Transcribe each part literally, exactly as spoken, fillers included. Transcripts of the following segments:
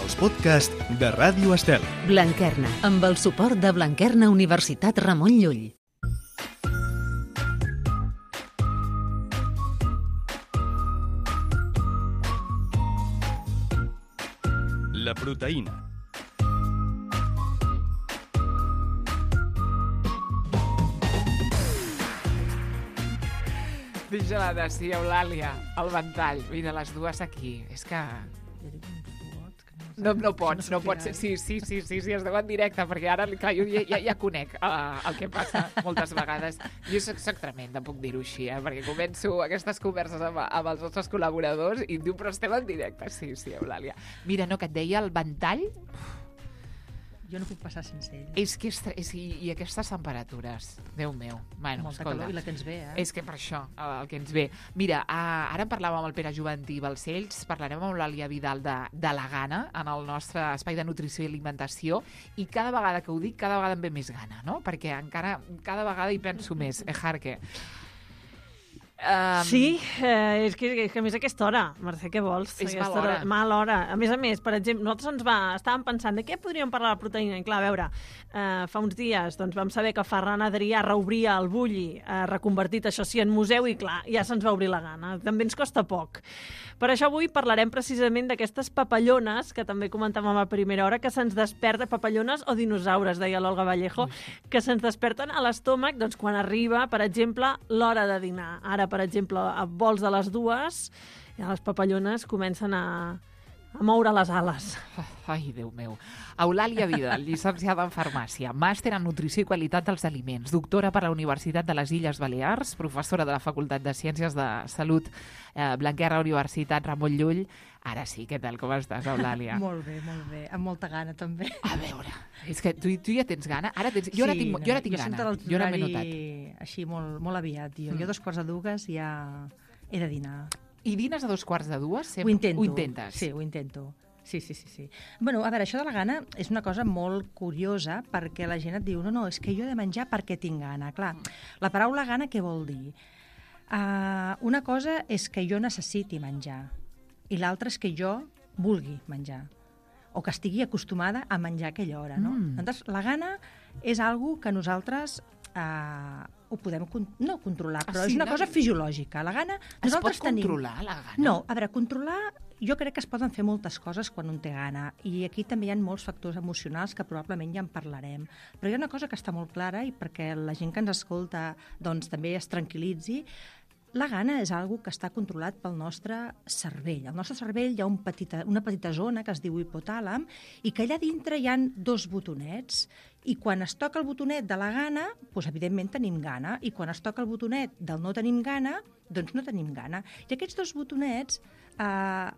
els podcasts de Ràdio Estel. Blanquerna, amb el suport de Blanquerna Universitat Ramon Llull. La proteïna. Vigilada, sí, Eulàlia, el ventall. Mira, les dues aquí. És que... No, no pots, no pots. Sí, sí, sí, sí, sí, es deu en directe, perquè ara, clar, jo ja, ja, ja conec uh, el que passa moltes vegades. Jo soc, soc tremenda, puc dir-ho així, eh? Perquè començo aquestes converses amb, amb els nostres col·laboradors i em diu, però estem en directe. Sí, sí, Eulàlia. Mira, no, que et deia el ventall... Jo no puc passar sense ell. És que és, és, i, i aquestes temperatures, Déu meu. Bueno, molta escolta, calor i la que ens ve, eh? És que per això, el que ens ve. Mira, uh, ara parlàvem amb el Pere Juventí Balcells, parlarem amb l'Àlia Vidal de, de la gana en el nostre espai de nutrició i alimentació, i cada vegada que ho dic, cada vegada em ve més gana, no? Perquè encara, cada vegada hi penso més, eh, Jarque? Um, sí, eh, és, que, és que a més a aquesta hora, Mercè, què vols? És aquesta mal hora. hora. Mal hora. A més a més, per exemple, nosaltres ens va, estàvem pensant de què podríem parlar de la proteïna. I clar, a veure, eh, fa uns dies doncs, vam saber que Ferran Adrià reobria el Bulli, eh, reconvertit això sí en museu, i clar, ja se'ns va obrir la gana. També ens costa poc. Per això avui parlarem precisament d'aquestes papallones, que també comentàvem a primera hora, que se'ns desperta, papallones o dinosaures, deia l'Olga Vallejo, que se'ns desperten a l'estómac doncs, quan arriba, per exemple, l'hora de dinar. Ara, per exemple, a vols de les dues, ja les papallones comencen a, a moure les ales. Oh, ai, Déu meu. Eulàlia Vidal, llicenciada en farmàcia, màster en nutrició i qualitat dels aliments, doctora per la Universitat de les Illes Balears, professora de la Facultat de Ciències de Salut eh, Blanquerna Universitat Ramon Llull. Ara sí, què tal, com estàs, Eulàlia? Molt bé, molt bé, amb molta gana també. A veure, és que tu, tu ja tens gana? Ara tens... Jo ara sí, tinc, no, jo ara tinc jo gana, jo jo ara m'he notat. notat. Així molt, molt aviat, jo. Mm. Jo dos quarts de dues ja he de dinar. I dines a dos quarts de dues? Sempre? Ho intento. Ho intentes? Sí, ho intento. Sí, sí, sí, sí. Bueno, a veure, això de la gana és una cosa molt curiosa perquè la gent et diu no, no, és que jo he de menjar perquè tinc gana. Clar, la paraula gana què vol dir? Uh, una cosa és que jo necessiti menjar i l'altra és que jo vulgui menjar o que estigui acostumada a menjar a aquella hora, no? Mm. Llavors, la gana és algo que nosaltres uh, ho podem con no controlar, però ah, sí, és una no? cosa fisiològica. La gana... Es pot tenim... controlar la gana? No, a veure, controlar... Jo crec que es poden fer moltes coses quan un té gana i aquí també hi ha molts factors emocionals que probablement ja en parlarem. Però hi ha una cosa que està molt clara i perquè la gent que ens escolta doncs, també es tranquil·litzi. La gana és algo que està controlat pel nostre cervell. Al nostre cervell hi ha un petita, una petita zona que es diu hipotàlam i que allà dintre hi ha dos botonets i quan es toca el botonet de la gana, doncs evidentment tenim gana i quan es toca el botonet del no tenim gana, doncs no tenim gana. I aquests dos botonets eh,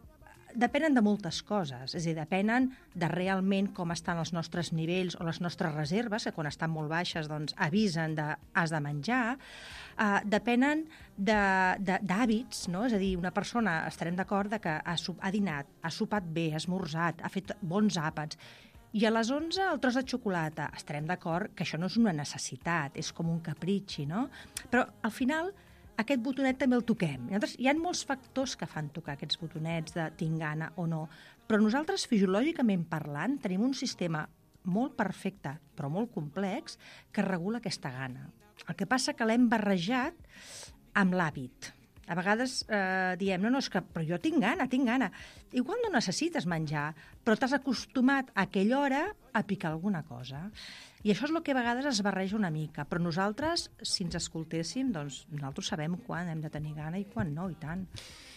depenen de moltes coses, és a dir, depenen de realment com estan els nostres nivells o les nostres reserves, que quan estan molt baixes doncs avisen de has de menjar, uh, depenen d'hàbits, no? És a dir, una persona estarem d'acord que ha, ha dinat, ha sopat bé, ha esmorzat, ha fet bons àpats, i a les onze el tros de xocolata, estarem d'acord que això no és una necessitat, és com un capritxi, no? Però al final aquest botonet també el toquem. Llavors, hi ha molts factors que fan tocar aquests botonets de tinc gana o no, però nosaltres, fisiològicament parlant, tenim un sistema molt perfecte, però molt complex, que regula aquesta gana. El que passa que l'hem barrejat amb l'hàbit. A vegades eh, diem, no, no, és que però jo tinc gana, tinc gana. Igual no necessites menjar, però t'has acostumat a aquella hora a picar alguna cosa. I això és el que a vegades es barreja una mica, però nosaltres, si ens escoltéssim, doncs nosaltres sabem quan hem de tenir gana i quan no, i tant.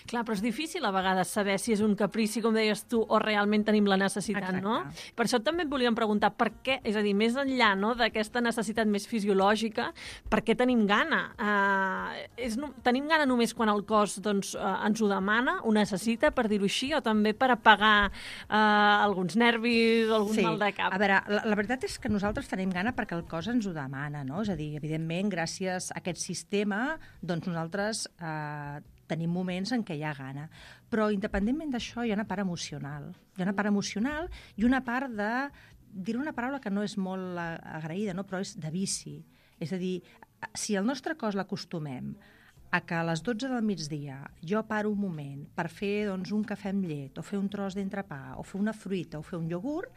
Clar, però és difícil a vegades saber si és un caprici, com deies tu, o realment tenim la necessitat, Exacte. no? Per això també et volíem preguntar per què, és a dir, més enllà no, d'aquesta necessitat més fisiològica, per què tenim gana? Uh, és, no, tenim gana només quan el cos doncs, uh, ens ho demana, ho necessita, per dir-ho així, o també per apagar uh, alguns nervis o algun sí. mal de cap? A veure, la, la veritat és que nosaltres tenim gana perquè el cos ens ho demana, no? És a dir, evidentment, gràcies a aquest sistema, doncs nosaltres eh, tenim moments en què hi ha gana. Però, independentment d'això, hi ha una part emocional. Hi ha una part emocional i una part de... Diré una paraula que no és molt agraïda, no? Però és de vici. És a dir, si al nostre cos l'acostumem a que a les dotze del migdia jo paro un moment per fer doncs, un cafè amb llet, o fer un tros d'entrepà, o fer una fruita, o fer un iogurt,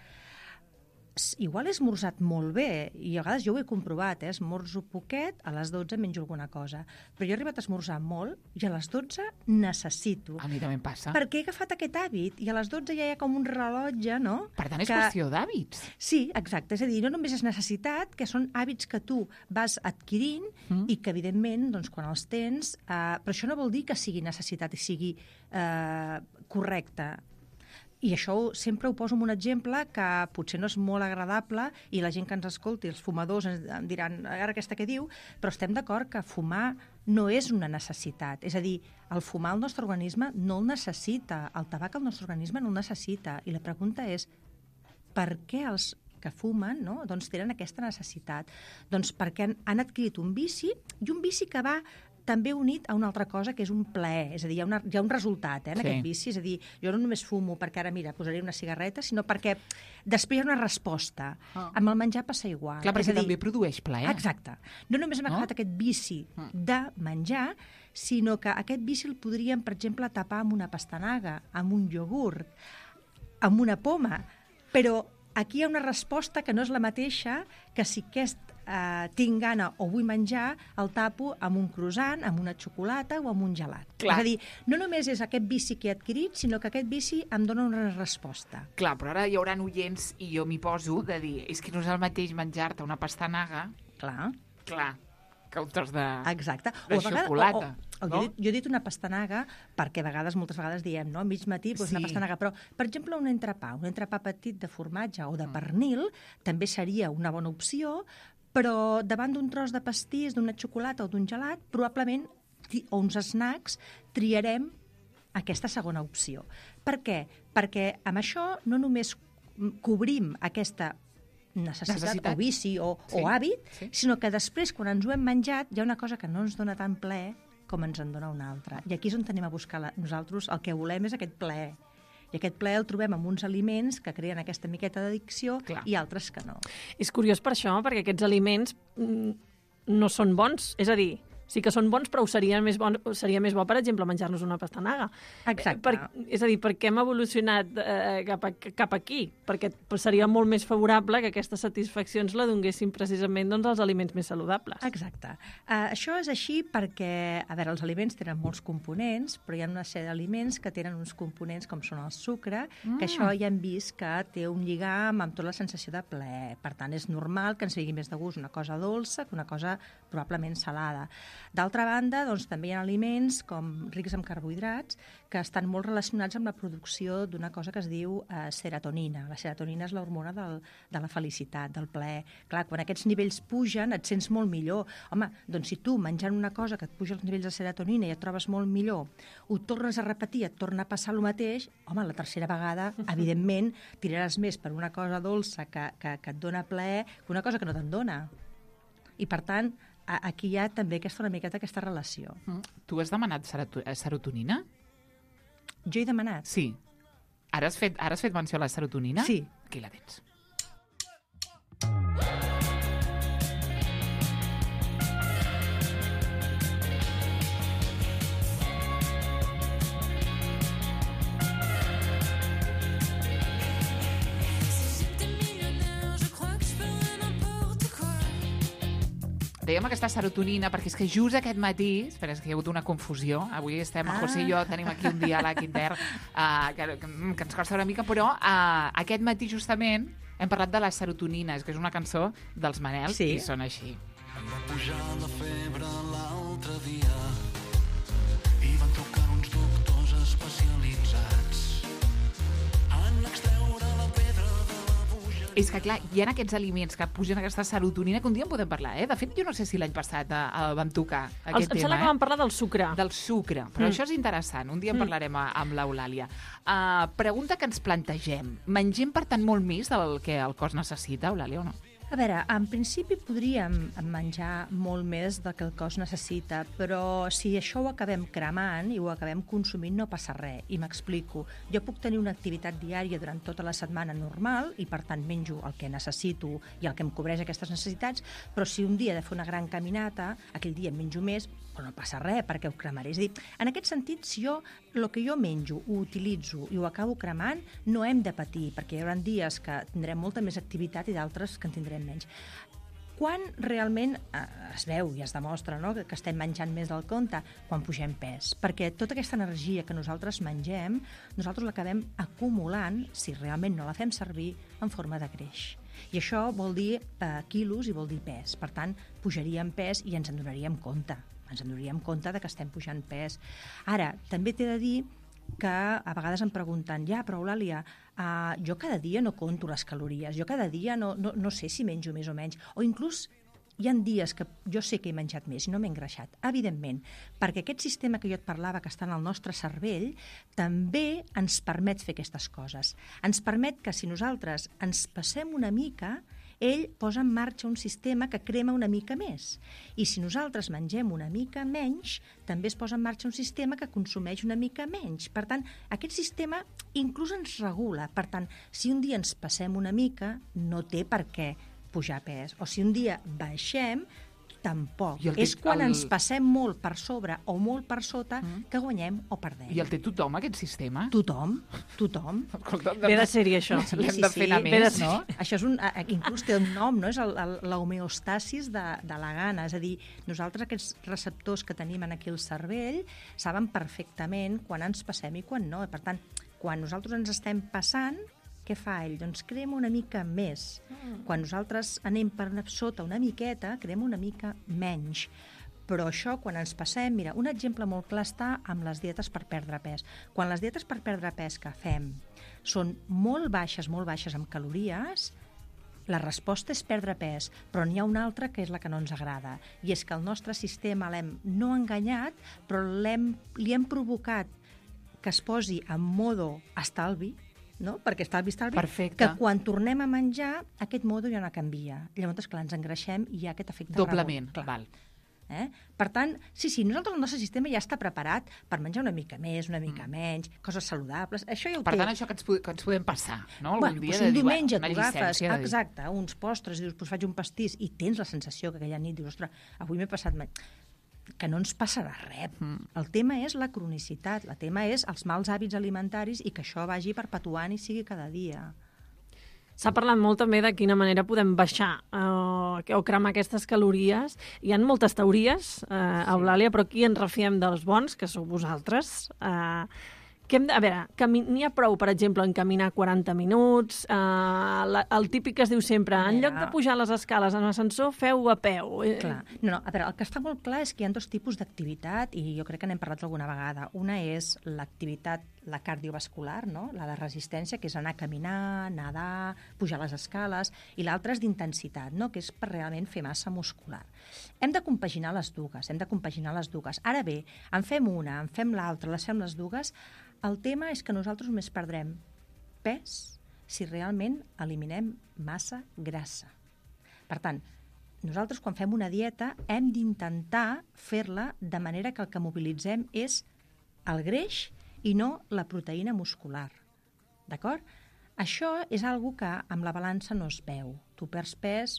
igual he esmorzat molt bé, i a vegades jo ho he comprovat, eh? Esmorzo poquet, a les dotze menjo alguna cosa, però jo he arribat a esmorzar molt i a les dotze necessito. A mi també em passa. Perquè he agafat aquest hàbit i a les dotze ja hi ha com un rellotge, no? Per tant, és que... qüestió d'hàbits. Sí, exacte. És a dir, no només és necessitat, que són hàbits que tu vas adquirint mm. i que, evidentment, doncs, quan els tens... Eh, però això no vol dir que sigui necessitat i sigui eh, correcte. I això sempre ho poso amb un exemple que potser no és molt agradable i la gent que ens escolti, els fumadors, ens diran ara aquesta què diu, però estem d'acord que fumar no és una necessitat. És a dir, el fumar el nostre organisme no el necessita, el tabac el nostre organisme no el necessita. I la pregunta és per què els que fumen no? doncs tenen aquesta necessitat? Doncs perquè han, han adquirit un vici i un vici que va també unit a una altra cosa que és un plaer, és a dir, hi ha, una, hi ha un resultat eh, en sí. aquest vici, és a dir, jo no només fumo perquè ara, mira, posaré una cigarreta, sinó perquè després hi ha una resposta. Oh. Amb el menjar passa igual. Clar, perquè és a dir, també produeix plaer. Exacte. No només hem agafat oh. aquest vici de menjar, sinó que aquest vici el podríem, per exemple, tapar amb una pastanaga, amb un iogurt, amb una poma, però aquí hi ha una resposta que no és la mateixa que si aquest Uh, tinc gana o vull menjar, el tapo amb un croissant, amb una xocolata o amb un gelat. Clar. És a dir, no només és aquest vici que he adquirit, sinó que aquest vici em dona una resposta. Clar, però ara hi haurà oients, i jo m'hi poso, de dir, és que no és el mateix menjar-te una pastanaga... Clar. Clar, que un tros de, Exacte. de o a vegades, xocolata. O, o, o no? jo, he dit, jo he dit una pastanaga perquè a vegades, moltes vegades diem, no? A mig matí, doncs sí. una pastanaga. Però, per exemple, un entrepà, un entrepà petit de formatge o de pernil, mm. també seria una bona opció, però davant d'un tros de pastís, d'una xocolata o d'un gelat, probablement, o uns snacks, triarem aquesta segona opció. Per què? Perquè amb això no només cobrim aquesta necessitat, necessitat. o vici o, sí. o hàbit, sí. sinó que després, quan ens ho hem menjat, hi ha una cosa que no ens dona tant plaer com ens en dona una altra. I aquí és on tenim a buscar la, nosaltres, el que volem és aquest plaer. I aquest plaer el trobem en uns aliments que creen aquesta miqueta d'addicció i altres que no. És curiós per això, perquè aquests aliments no són bons. És a dir, sí que són bons, però ho seria més bon, seria més bo, per exemple, menjar-nos una pastanaga. Exacte. Per, és a dir, per què hem evolucionat eh, cap, a, cap aquí? Perquè seria molt més favorable que aquestes satisfaccions la donguessin precisament doncs, els aliments més saludables. Exacte. Uh, això és així perquè, a veure, els aliments tenen molts components, però hi ha una sèrie d'aliments que tenen uns components com són el sucre, mm. que això ja hem vist que té un lligam amb tota la sensació de plaer. Per tant, és normal que ens vingui més de gust una cosa dolça que una cosa probablement salada. D'altra banda, doncs, també hi ha aliments com rics en carbohidrats que estan molt relacionats amb la producció d'una cosa que es diu eh, serotonina. La serotonina és l'hormona del, de la felicitat, del plaer. Clar, quan aquests nivells pugen et sents molt millor. Home, doncs si tu menjant una cosa que et puja els nivells de serotonina i et trobes molt millor, ho tornes a repetir, et torna a passar el mateix, home, la tercera vegada, evidentment, tiraràs més per una cosa dolça que, que, que et dona plaer que una cosa que no te'n dona. I, per tant, aquí hi ha també aquesta, una miqueta aquesta relació. Mm. Tu has demanat serotonina? Jo he demanat? Sí. Ara has fet, ara has fet menció a la serotonina? Sí. Aquí la tens. Dèiem aquesta serotonina, perquè és que just aquest matí, espera, és que hi ha hagut una confusió, avui estem, ah. José i jo tenim aquí un diàleg intern uh, que, que, que ens costa una mica, però uh, aquest matí justament hem parlat de la serotonina, és que és una cançó dels Manel, sí. I són així. Em va pujar la febre l'altre dia i van trucar uns doctors especialitzats en extreure la pedra de la puja. És que, clar, hi ha aquests aliments que pugen aquesta serotonina que un dia en podem parlar, eh? De fet, jo no sé si l'any passat eh, vam tocar aquest El, tema. Em sembla eh? que vam parlar del sucre. Del sucre, però mm. això és interessant. Un dia en parlarem mm. amb l'Eulàlia. Uh, pregunta que ens plantegem. Mengem, per tant, molt més del que el cos necessita, Eulàlia, o no? A veure, en principi podríem menjar molt més del que el cos necessita, però si això ho acabem cremant i ho acabem consumint no passa res. I m'explico. Jo puc tenir una activitat diària durant tota la setmana normal i, per tant, menjo el que necessito i el que em cobreix aquestes necessitats, però si un dia he de fer una gran caminata, aquell dia menjo més, però no passa res, perquè ho cremaré. És a dir, en aquest sentit, si jo el que jo menjo ho utilitzo i ho acabo cremant, no hem de patir, perquè hi haurà dies que tindrem molta més activitat i d'altres que en tindrem menys. Quan realment eh, es veu i es demostra, no?, que, que estem menjant més del compte? Quan pugem pes. Perquè tota aquesta energia que nosaltres mengem, nosaltres l'acabem acumulant, si realment no la fem servir, en forma de greix. I això vol dir eh, quilos i vol dir pes. Per tant, pujaríem pes i ens en donaríem compte. Ens en donaríem compte de que estem pujant pes. Ara, també t'he de dir que a vegades em pregunten, ja, però Eulàlia, uh, jo cada dia no conto les calories, jo cada dia no, no, no sé si menjo més o menys, o inclús hi ha dies que jo sé que he menjat més i no m'he engreixat, evidentment, perquè aquest sistema que jo et parlava que està en el nostre cervell també ens permet fer aquestes coses. Ens permet que si nosaltres ens passem una mica, ell posa en marxa un sistema que crema una mica més. I si nosaltres mengem una mica menys, també es posa en marxa un sistema que consumeix una mica menys. Per tant, aquest sistema inclús ens regula. Per tant, si un dia ens passem una mica, no té per què pujar pes. O si un dia baixem, tampoc. I el És té- quan el- ens passem molt per sobre o molt per sota Mm. que guanyem o perdem. I el té tothom, aquest sistema? Tothom, tothom. Escolta, Ve de sèrie, això. L'hem de fer anar Ve de més, ser- no? Això és un, a- inclús té un nom, no? És el- el- l'homeostasis de, de la gana. És a dir, nosaltres aquests receptors que tenim en aquí al cervell saben perfectament quan ens passem i quan no. Per tant, quan nosaltres ens estem passant, què fa ell? Doncs crema una mica més. Mm. Quan nosaltres anem per una, sota una miqueta, crema una mica menys. Però això, quan ens passem... Mira, un exemple molt clar està amb les dietes per perdre pes. Quan les dietes per perdre pes que fem són molt baixes, molt baixes en calories, la resposta és perdre pes, però n'hi ha una altra que és la que no ens agrada. I és que el nostre sistema l'hem no enganyat, però l'hem, li hem provocat que es posi en modo estalvi, no? Perquè estalvi, estalvi, Perfecte. que quan tornem a menjar, aquest modo ja no canvia. Llavors, clar, ens engreixem i hi ha aquest efecte Doblement, rebot. Clar. val. Eh? Per tant, sí, sí, nosaltres el nostre sistema ja està preparat per menjar una mica més, una mica Mm. menys, coses saludables, això ja ho Per té. tant, això que ens, po- que ens podem passar, no? Algun Bueno, dia doncs de un dir, diumenge bueno, tu una agafes, llicència de dir, exacte, uns postres, i dius, doncs faig un pastís, i tens la sensació que aquella nit dius, ostres, avui m'he passat... me- que no ens passarà res. Mm. El tema és la cronicitat, el tema és els mals hàbits alimentaris i que això vagi perpetuant i sigui cada dia. S'ha parlat molt també de quina manera podem baixar eh, o cremar aquestes calories. Hi ha moltes teories, eh, Eulàlia, però aquí ens refiem dels bons, que sou vosaltres. Eh, que hem de, a veure, cami- n'hi ha prou, per exemple, en caminar quaranta minuts, eh, la, el típic que es diu sempre, en Mira. lloc de pujar les escales en ascensor, feu a peu. Eh, Clar. No, no, a veure, el que està molt clar és que hi ha dos tipus d'activitat i jo crec que n'hem parlat alguna vegada. Una és l'activitat, la cardiovascular, no? La de resistència, que és anar a caminar, nedar, pujar les escales, i l'altra és d'intensitat, no? Que és per realment fer massa muscular. Hem de compaginar les dues, hem de compaginar les dues. Ara bé, en fem una, en fem l'altra, les fem les dues. El tema és que nosaltres només perdrem pes si realment eliminem massa grassa. Per tant, nosaltres quan fem una dieta hem d'intentar fer-la de manera que el que mobilitzem és el greix i no la proteïna muscular. D'acord? Això és algo que amb la balança no es veu. Tu perds pes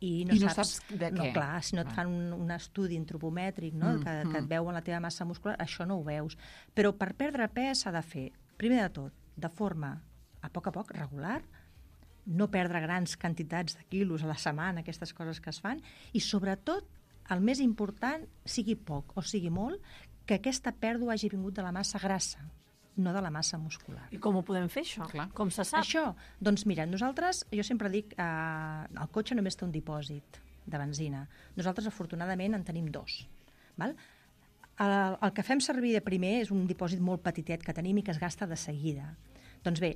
i no, I no saps, saps de no, què. clar, si no et Ah. fan un, un estudi antropomètric, no? Mm, que, que et mm. veuen la teva massa muscular, això no ho veus. Però per perdre pes s'ha de fer, primer de tot, de forma a poc a poc, regular, no perdre grans quantitats de quilos a la setmana, aquestes coses que es fan, i sobretot, el més important, sigui poc o sigui molt, que aquesta pèrdua hagi vingut de la massa grassa, no de la massa muscular. I com ho podem fer, això? Clar. Com se sap? Això, doncs mira, nosaltres, jo sempre dic, eh, el cotxe només té un dipòsit de benzina. Nosaltres, afortunadament, en tenim dos. Val? El, el que fem servir de primer és un dipòsit molt petitet que tenim i que es gasta de seguida. Doncs bé,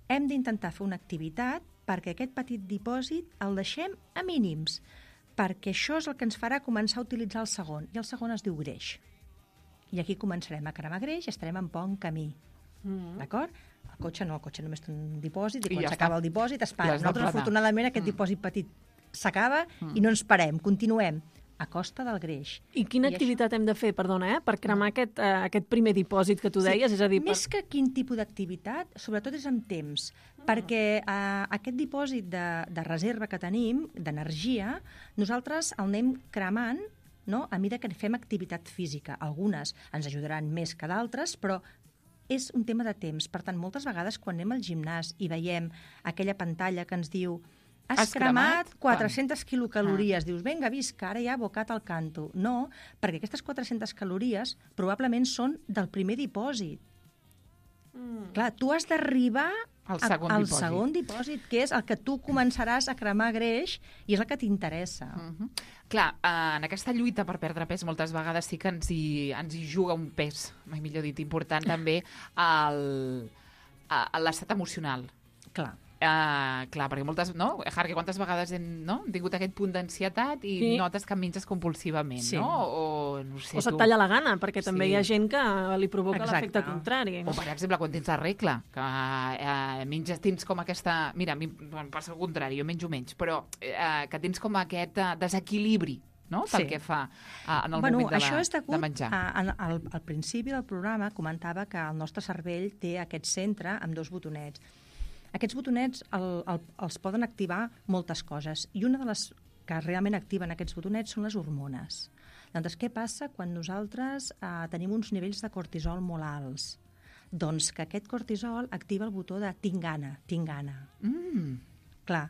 hem d'intentar fer una activitat perquè aquest petit dipòsit el deixem a mínims, perquè això és el que ens farà començar a utilitzar el segon, i el segon es diu greix. I aquí començarem a cremar greix i estarem en bon camí. Mm. D'acord? el cotxe no, el cotxe només té un dipòsit, i I quan ja s'acaba està. el dipòsit es I para. has de Nosaltres, frenar. afortunadament, aquest Mm. dipòsit petit s'acaba Mm. i no ens parem, continuem, a costa del greix. I quina I activitat hem de fer, perdona, eh, per cremar aquest, eh, aquest primer dipòsit que tu deies? És a dir, per... Més que quin tipus d'activitat, sobretot és amb temps, Ah. perquè eh, aquest dipòsit de, de reserva que tenim, d'energia, nosaltres el anem cremant, no?, a mesura que fem activitat física. Algunes ens ajudaran més que d'altres, però és un tema de temps. Per tant, moltes vegades quan anem al gimnàs i veiem aquella pantalla que ens diu has, Has cremat cremat quatre-centes quilocalories, dius, vinga, visca, ara ja abocat al canto. No, perquè aquestes quatre-centes calories probablement són del primer dipòsit. Mm. Clar, tu has d'arribar Al a- segon al dipòsit. segon dipòsit, que és el que tu començaràs a cremar greix i és el que t'interessa. Mhm. Clar, eh, en aquesta lluita per perdre pes moltes vegades sí que ens hi, ens hi juga un pes, mai millor dit, important també el, a- a l'estat emocional. Clar. Uh, clar, perquè moltes, no? Harry, quantes vegades hem, no? hem tingut aquest punt d'ansietat i Sí. notes que menges compulsivament, Sí. no? O, no sé, O se't tu. talla la gana, perquè també Sí. hi ha gent que li provoca Exacte. l'efecte contrari. O, per exemple, quan tens la regla, que eh, menges, tens com aquesta... Mira, a mi em passa el contrari, jo menjo menys, però eh, que tens com aquest eh, desequilibri, no?, pel Sí. que fa eh, en el Bueno, moment de, això la, és degut de menjar. a, a, al, al principi del programa comentava que el nostre cervell té aquest centre amb dos botonets. Aquests botonets el, el, els poden activar moltes coses i una de les que realment activen aquests botonets són les hormones. Doncs què passa quan nosaltres eh, tenim uns nivells de cortisol molt alts? Doncs que aquest cortisol activa el botó de tinc gana, tinc gana. Mm. Clar.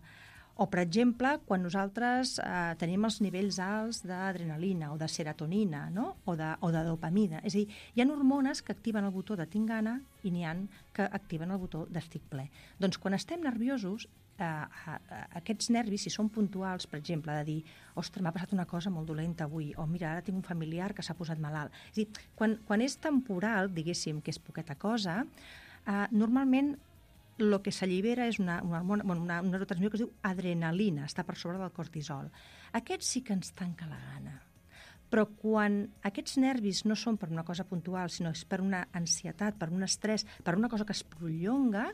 O, per exemple, quan nosaltres eh, tenim els nivells alts d'adrenalina o de serotonina, no?, o de, o de dopamina. És a dir, hi ha hormones que activen el botó de tinc gana i n'hi ha que activen el botó d'estic ple. Doncs quan estem nerviosos, eh, eh, aquests nervis, si són puntuals, per exemple, de dir, ostres, m'ha passat una cosa molt dolenta avui, o mira, ara tinc un familiar que s'ha posat malalt. És a dir, quan, quan és temporal, diguéssim, que és poqueta cosa, eh, normalment el que s'allibera és una, una, una, una, una neurotransmissió que es diu adrenalina, està per sobre del cortisol. Aquest sí que ens tanca la gana. Però quan aquests nervis no són per una cosa puntual, sinó és per una ansietat, per un estrès, per una cosa que es prolonga,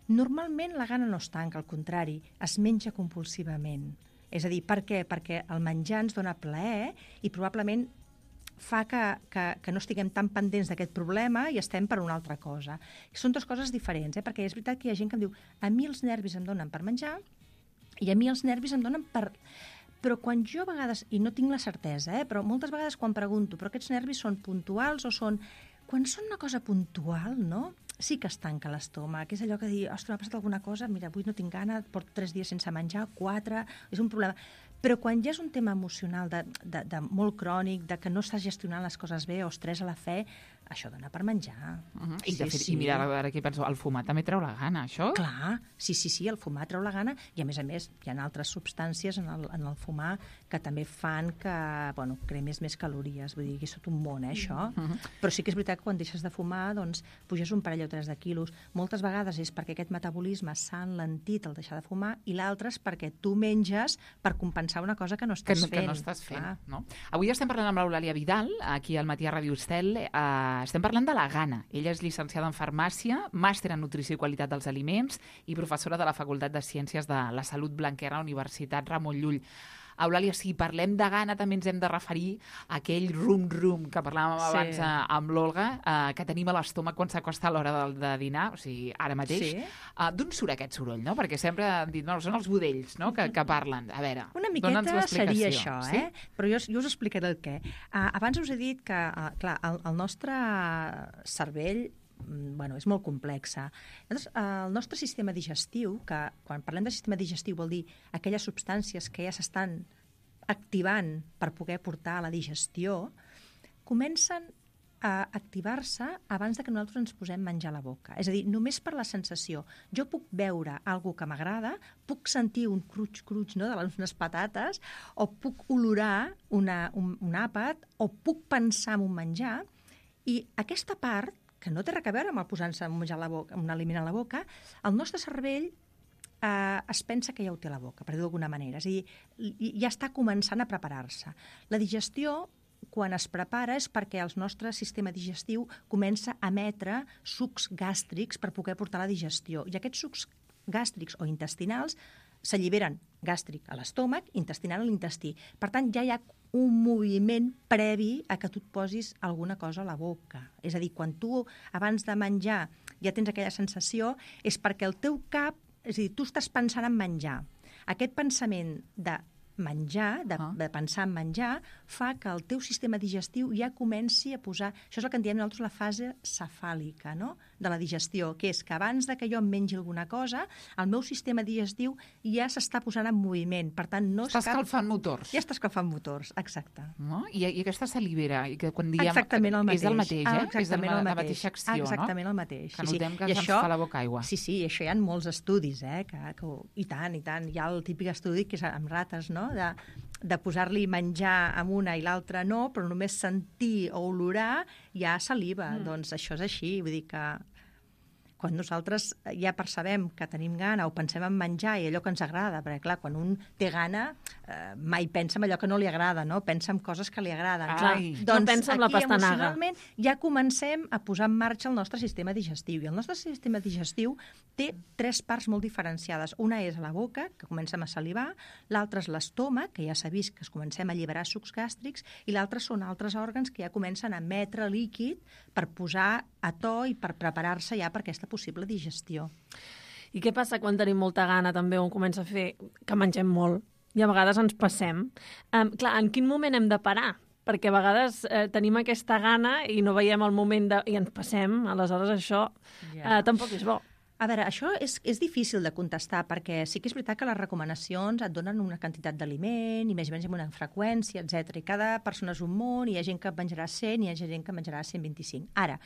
normalment la gana no es tanca, al contrari, es menja compulsivament. És a dir, per què? Perquè el menjar ens dona plaer i probablement fa que, que, que no estiguem tan pendents d'aquest problema i estem per una altra cosa. Són dues coses diferents, eh? Perquè és veritat que hi ha gent que em diu a mi els nervis em donen per menjar i a mi els nervis em donen per... Però quan jo a vegades, i no tinc la certesa, eh? Però moltes vegades quan pregunto, però aquests nervis són puntuals o són... Quan són una cosa puntual, no?, sí que es tanca l'estómac. És allò que dir, ostres, m'ha passat alguna cosa, mira, avui no tinc gana, porto tres dies sense menjar, quatre, és un problema. Però quan ja és un tema emocional de, de, de molt crònic, de que no estàs gestionant les coses bé o estrès a la fe, això dona per menjar. Uh -huh. I, Sí, de fet, sí. I mira, ara aquí penso, el fumar també treu la gana, això? Clar, sí, sí, sí, el fumar treu la gana i, a més a més, hi ha altres substàncies en el, en el fumar que també fan que, bueno, cremis més calories. Vull dir que és tot un món, eh, això. Uh -huh. Però sí que és veritat que quan deixes de fumar, doncs, puges un parell o tres de quilos. Moltes vegades és perquè aquest metabolisme s'ha enlentit al deixar de fumar i l'altre és perquè tu menges per compensar una cosa que no Que estàs no, fent. que no estàs fent, Clar. no? Avui estem parlant amb l'Eulàlia Vidal, aquí al Matí a Ràdio Estel. Eh, estem parlant de la gana. Ella és llicenciada en farmàcia, màster en nutrició i qualitat dels aliments i professora de la Facultat de Ciències de la Salut Blanquerna, Universitat Ramon Llull. Eulàlia, si parlem de gana també ens hem de referir a aquell rum-rum que parlàvem Sí. abans eh, amb l'Olga, eh, que tenim a l'estómac quan s'acosta l'hora de, de dinar, o sigui, ara mateix. Sí. Uh, D'on surt aquest soroll, no? Perquè sempre han dit, no, són els budells, no?, que, que parlen. A veure, Una dona'ns miqueta l'explicació. seria això, Sí? eh? Però jo, jo us explicaré el què. Uh, abans us he dit que, uh, clar, el, el nostre cervell mm, bueno, és molt complexa. Llavors, uh, el nostre sistema digestiu, que quan parlem de sistema digestiu vol dir aquelles substàncies que ja s'estan activant per poder portar a la digestió, comencen a activar-se abans de que nosaltres ens posem menjar a la boca. És a dir, només per la sensació. Jo puc veure alguna que m'agrada, puc sentir un cruig-cruig, no?, de les unes patates, o puc olorar una, un, un àpat, o puc pensar en un menjar, i aquesta part, que no té res a veure amb el posar-se un menjar a la boca, un aliment a la boca, el nostre cervell eh, es pensa que ja ho té a la boca, per dir-ho d'alguna manera. És a dir, ja està començant a preparar-se. La digestió quan es prepara és perquè el nostre sistema digestiu comença a emetre sucs gàstrics per poder portar la digestió. I aquests sucs gàstrics o intestinals s'alliberen gàstric a l'estómac, intestinal a l'intestí. Per tant, ja hi ha un moviment previ a que tu et posis alguna cosa a la boca. És a dir, quan tu, abans de menjar, ja tens aquella sensació, és perquè el teu cap, és a dir, tu estàs pensant en menjar. Aquest pensament de menjar, de, Ah. de pensar en menjar, fa que el teu sistema digestiu ja comenci a posar... Això és el que en diem nosaltres la fase cefàlica, no?, de la digestió, que és que abans de que jo em mengi alguna cosa, el meu sistema digestiu ja s'està posant en moviment. Per tant, no Està és cap... escalfant motors. Ja està escalfant motors, exacte. No? I, I aquesta salivera, i que quan diem... Exactament el mateix. És el mateix, eh? Ah, exactament és el, el la mateix. mateixa acció, exactament no? el mateix. Que sí, notem sí. que I ens això, fa la boca aigua. Sí, sí, això hi ha molts estudis, eh? Que, que, I tant, i tant. Hi ha el típic estudi que és amb rates, no?, de, de posar-li menjar amb una i l'altra no, però només sentir o olorar ja saliva. Mm. Doncs això és així, vull dir que quan nosaltres ja percebem que tenim gana o pensem en menjar i allò que ens agrada, perquè clar, quan un té gana eh, mai pensa en allò que no li agrada, no? Pensa en coses que li agraden. Ai, no pensa en la aquí, pastanaga. emocionalment, ja comencem a posar en marxa el nostre sistema digestiu. I el nostre sistema digestiu té tres parts molt diferenciades. Una és a la boca, que comencem a salivar, l'altra és l'estómac, que ja s'ha vist que es comencem a alliberar sucs gàstrics, i l'altre són altres òrgans que ja comencen a emetre líquid per posar a to i per preparar-se ja per aquesta possible digestió. I què passa quan tenim molta gana també on comença a fer que mengem molt i a vegades ens passem? Um, clar, en quin moment hem de parar? Perquè a vegades eh, tenim aquesta gana i no veiem el moment de... i ens passem, aleshores això Ja. eh, tampoc és bo. A veure, això és, és difícil de contestar perquè sí que és veritat que les recomanacions et donen una quantitat d'aliment i més o menys amb una freqüència, etcètera. I cada persona és un món, i hi ha gent que menjarà cent i hi ha gent que menjarà cent vint-i-cinc. Ara,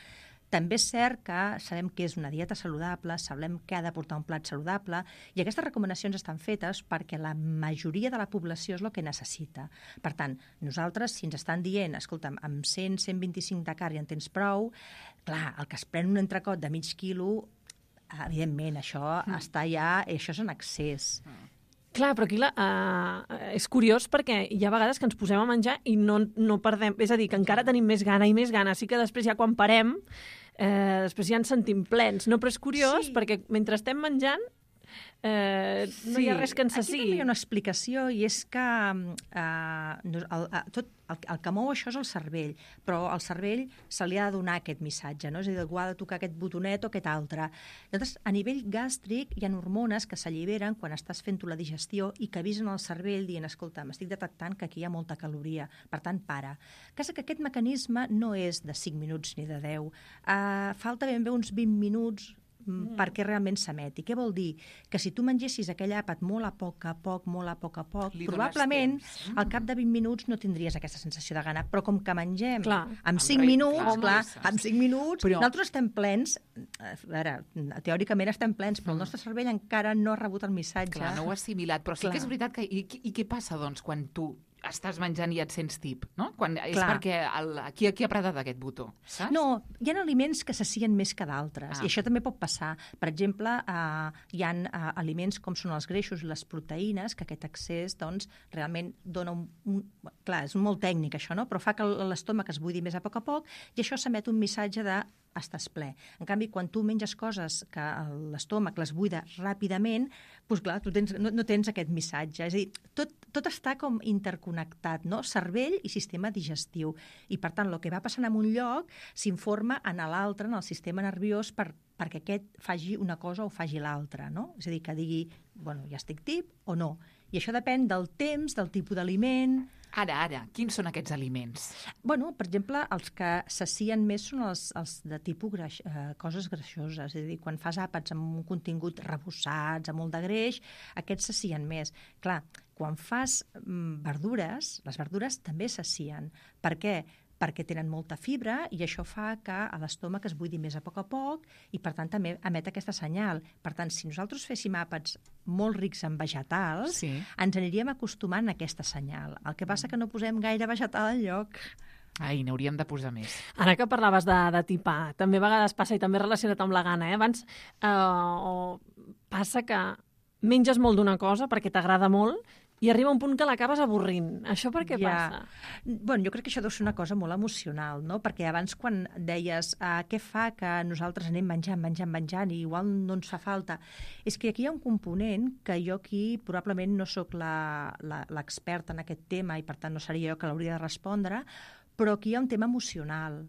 també és cert que sabem què és una dieta saludable, sabem què ha de portar un plat saludable, i aquestes recomanacions estan fetes perquè la majoria de la població és el que necessita. Per tant, nosaltres, si ens estan dient, escolta'm, amb cent a cent vint-i-cinc de carn ja en tens prou, clar, el que es pren un entrecot de mig quilo, evidentment, això mm. està ja... Això és en excés. Clar, però aquí la, uh, és curiós perquè hi ha vegades que ens posem a menjar i no, no perdem... És a dir, que encara tenim més gana i més gana. Sí que després ja quan parem, eh, després ja ens sentim plens. No, però és curiós Sí. perquè mentre estem menjant eh, no hi ha res que ens Aquí saci. també hi ha una explicació, i és que eh, no- el, el, tot, el, el que mou això és el cervell, però al cervell se li ha de donar aquest missatge, no? És a dir, algú ha de tocar aquest botonet o aquest altre. Llavors, a nivell gàstric hi ha hormones que s'alliberen quan estàs fent tu la digestió i que avisen al cervell dient, escolta, m'estic detectant que aquí hi ha molta caloria, per tant, para. El cas és que aquest mecanisme no és de cinc minuts ni de deu. Uh, falta ben bé uns vint minuts Mm. perquè realment s'emeti. Què vol dir? Que si tu mengessis aquell àpat molt a poc a poc, molt a poc a poc, Li dones probablement temps. al cap de vint minuts no tindries aquesta sensació de gana. Però com que mengem Clar. amb cinc Amb re- minuts, clar, clar, amb amb cinc minuts, Però- nosaltres estem plens, a veure, teòricament estem plens, però el nostre cervell encara no ha rebut el missatge. Clar, no ho ha assimilat, però sí Clar. que és veritat que... I, i què passa, doncs, quan tu estàs menjant i et sents tip, no? Quan, és Clar. perquè el, qui, qui ha apretat aquest botó, saps? No, hi ha aliments que s'assien més que d'altres, Ah. i això també pot passar. Per exemple, eh, hi ha eh, aliments com són els greixos i les proteïnes, que aquest excés doncs, realment dona un, un... Clar, és molt tècnic això, no? Però fa que l'estómac es buidi més a poc a poc i això s'emet un missatge de estàs ple. En canvi, quan tu menges coses que l'estómac les buida ràpidament, doncs clar, tu tens, no, no tens aquest missatge. És a dir, tot, tot està com interconnectat, no? Cervell i sistema digestiu. I, per tant, el que va passant en un lloc s'informa en l'altre, en el sistema nerviós, per, perquè aquest faci una cosa o faci l'altra, no? És a dir, que digui, bueno, ja estic tip o no. I això depèn del temps, del tipus d'aliment. Ara, ara, quins són aquests aliments? Bueno, per exemple, els que s'assien més són els, els de tipus greix, eh, coses greixoses. És a dir, quan fas àpats amb un contingut rebossats, amb molt de greix, aquests s'assien més. Clar, quan fas mm, verdures, les verdures també s'assien. Per què? Perquè tenen molta fibra i això fa que a l'estómac es buidi més a poc a poc i, per tant, també emet aquesta senyal. Per tant, si nosaltres féssim àpats molt rics en vegetals, Sí. ens aniríem acostumant a aquesta senyal. El que passa que no posem gaire vegetal al lloc. Ai, n'hauríem de posar més. Ara que parlaves de, de tipar, també a vegades passa, i també relacionat amb la gana, eh? Abans eh, o passa que menges molt d'una cosa perquè t'agrada molt i arriba un punt que l'acabes avorrint. Això per què ja. passa? Bueno, jo crec que això deu ser una cosa molt emocional, no? Perquè abans quan deies uh, què fa que nosaltres anem menjant, menjant, menjant i igual no ens fa falta, és que aquí hi ha un component que jo aquí probablement no sóc l'experta en aquest tema i per tant no seria jo que l'hauria de respondre, però aquí hi ha un tema emocional.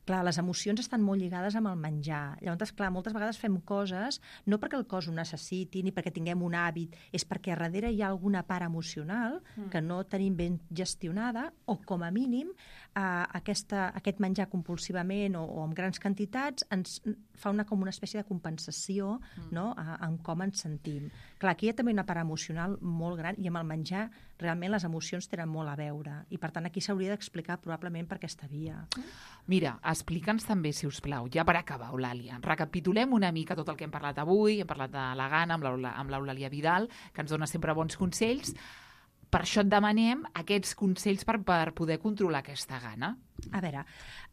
Clar, les emocions estan molt lligades amb el menjar. Llavors, clar, moltes vegades fem coses no perquè el cos ho necessiti ni perquè tinguem un hàbit, és perquè a darrere hi ha alguna part emocional que no tenim ben gestionada o, com a mínim, eh, aquesta, aquest menjar compulsivament o, o amb grans quantitats ens fa una, com una espècie de compensació no? a, en com ens sentim. Clar, aquí hi ha també una part emocional molt gran i amb el menjar realment les emocions tenen molt a veure i, per tant, aquí s'hauria d'explicar probablement per aquesta via. Mira, explica'ns també, si us plau, ja per acabar, Eulàlia, recapitulem una mica tot el que hem parlat avui, hem parlat de la gana amb l'Eulàlia Vidal, que ens dona sempre bons consells. Per això et demanem aquests consells per, per poder controlar aquesta gana. A veure,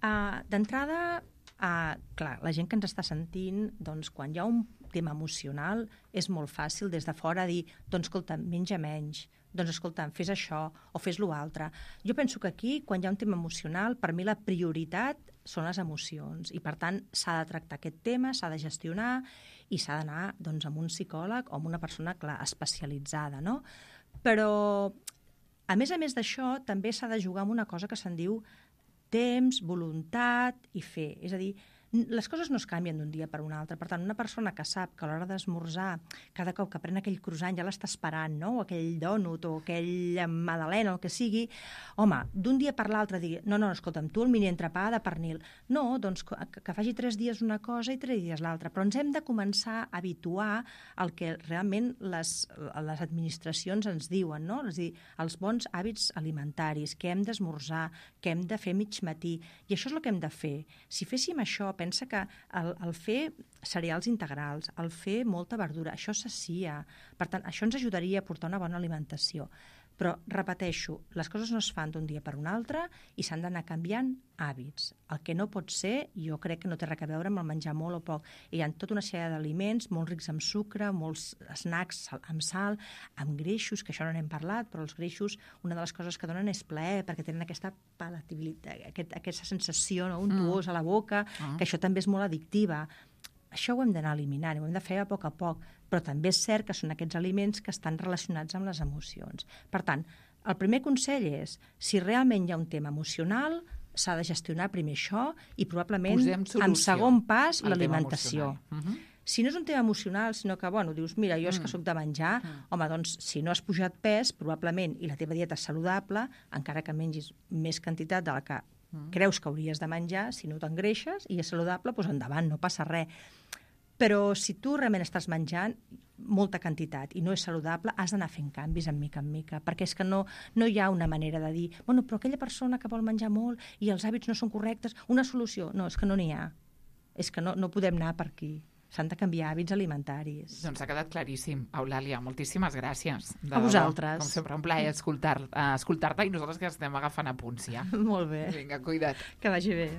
uh, d'entrada, uh, clar, la gent que ens està sentint, doncs, quan hi ha un tema emocional, és molt fàcil des de fora dir, doncs, escolta, menja menys, doncs, escolta, fes això o fes l'altre. Jo penso que aquí, quan hi ha un tema emocional, per mi la prioritat són les emocions i, per tant, s'ha de tractar aquest tema, s'ha de gestionar i s'ha d'anar doncs, amb un psicòleg o amb una persona, clar, especialitzada, no? Però, a més a més d'això, també s'ha de jugar amb una cosa que se'n diu temps, voluntat i fer. És a dir, les coses no es canvien d'un dia per un altre. Per tant, una persona que sap que a l'hora d'esmorzar, cada cop que pren aquell croissant ja l'està esperant, no? O aquell dònut o aquell magdalena o el que sigui, home, d'un dia per l'altre digui, no, no, escolta'm, tu el mini entrepà de pernil. No, doncs que, que faci tres dies una cosa i tres dies l'altra. Però ens hem de començar a habituar al que realment les, les administracions ens diuen, no? És a dir, els bons hàbits alimentaris, que hem d'esmorzar, que hem de fer mig matí. I això és el que hem de fer. Si féssim això, pensa que el, el fer cereals integrals, el fer molta verdura, això s'assia. Per tant, això ens ajudaria a portar una bona alimentació. Però, repeteixo, les coses no es fan d'un dia per un altre i s'han d'anar canviant hàbits. El que no pot ser, jo crec que no té res a veure amb el menjar molt o poc. Hi ha tota una sèrie d'aliments molt rics en sucre, molts snacks amb sal, amb greixos, que això no n'hem parlat, però els greixos, una de les coses que donen és plaer, perquè tenen aquesta palatabilitat, aquest, aquesta sensació no, untuosa a la boca, mm. que això també és molt addictiva. Això ho hem d'anar eliminant, ho hem de fer a poc a poc, però també és cert que són aquests aliments que estan relacionats amb les emocions. Per tant, el primer consell és, si realment hi ha un tema emocional, s'ha de gestionar primer això i probablement, en segon pas, l'alimentació. Uh-huh. Si no és un tema emocional, sinó que, bueno, dius, mira, jo és que soc de menjar, mm. home, doncs, si no has pujat pes, probablement, i la teva dieta és saludable, encara que mengis més quantitat de la que mm. creus que hauries de menjar, si no t'engreixes i és saludable, doncs endavant, no passa res. Però si tu realment estàs menjant molta quantitat i no és saludable, has d'anar fent canvis en mica en mica, perquè és que no, no hi ha una manera de dir, bueno, però aquella persona que vol menjar molt i els hàbits no són correctes, una solució. No, és que no n'hi ha. És que no, no podem anar per aquí. S'han de canviar hàbits alimentaris. Doncs ha quedat claríssim. Eulàlia, moltíssimes gràcies. De a vosaltres. Com sempre, un plaer escoltar, escoltar-te i nosaltres que estem agafant apunts ja. Molt bé. Vinga, cuida't. Que vagi bé.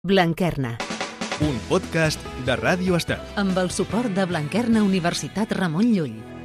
Blanquerna. Un podcast de Ràdio Estel. Amb el suport de Blanquerna Universitat Ramon Llull.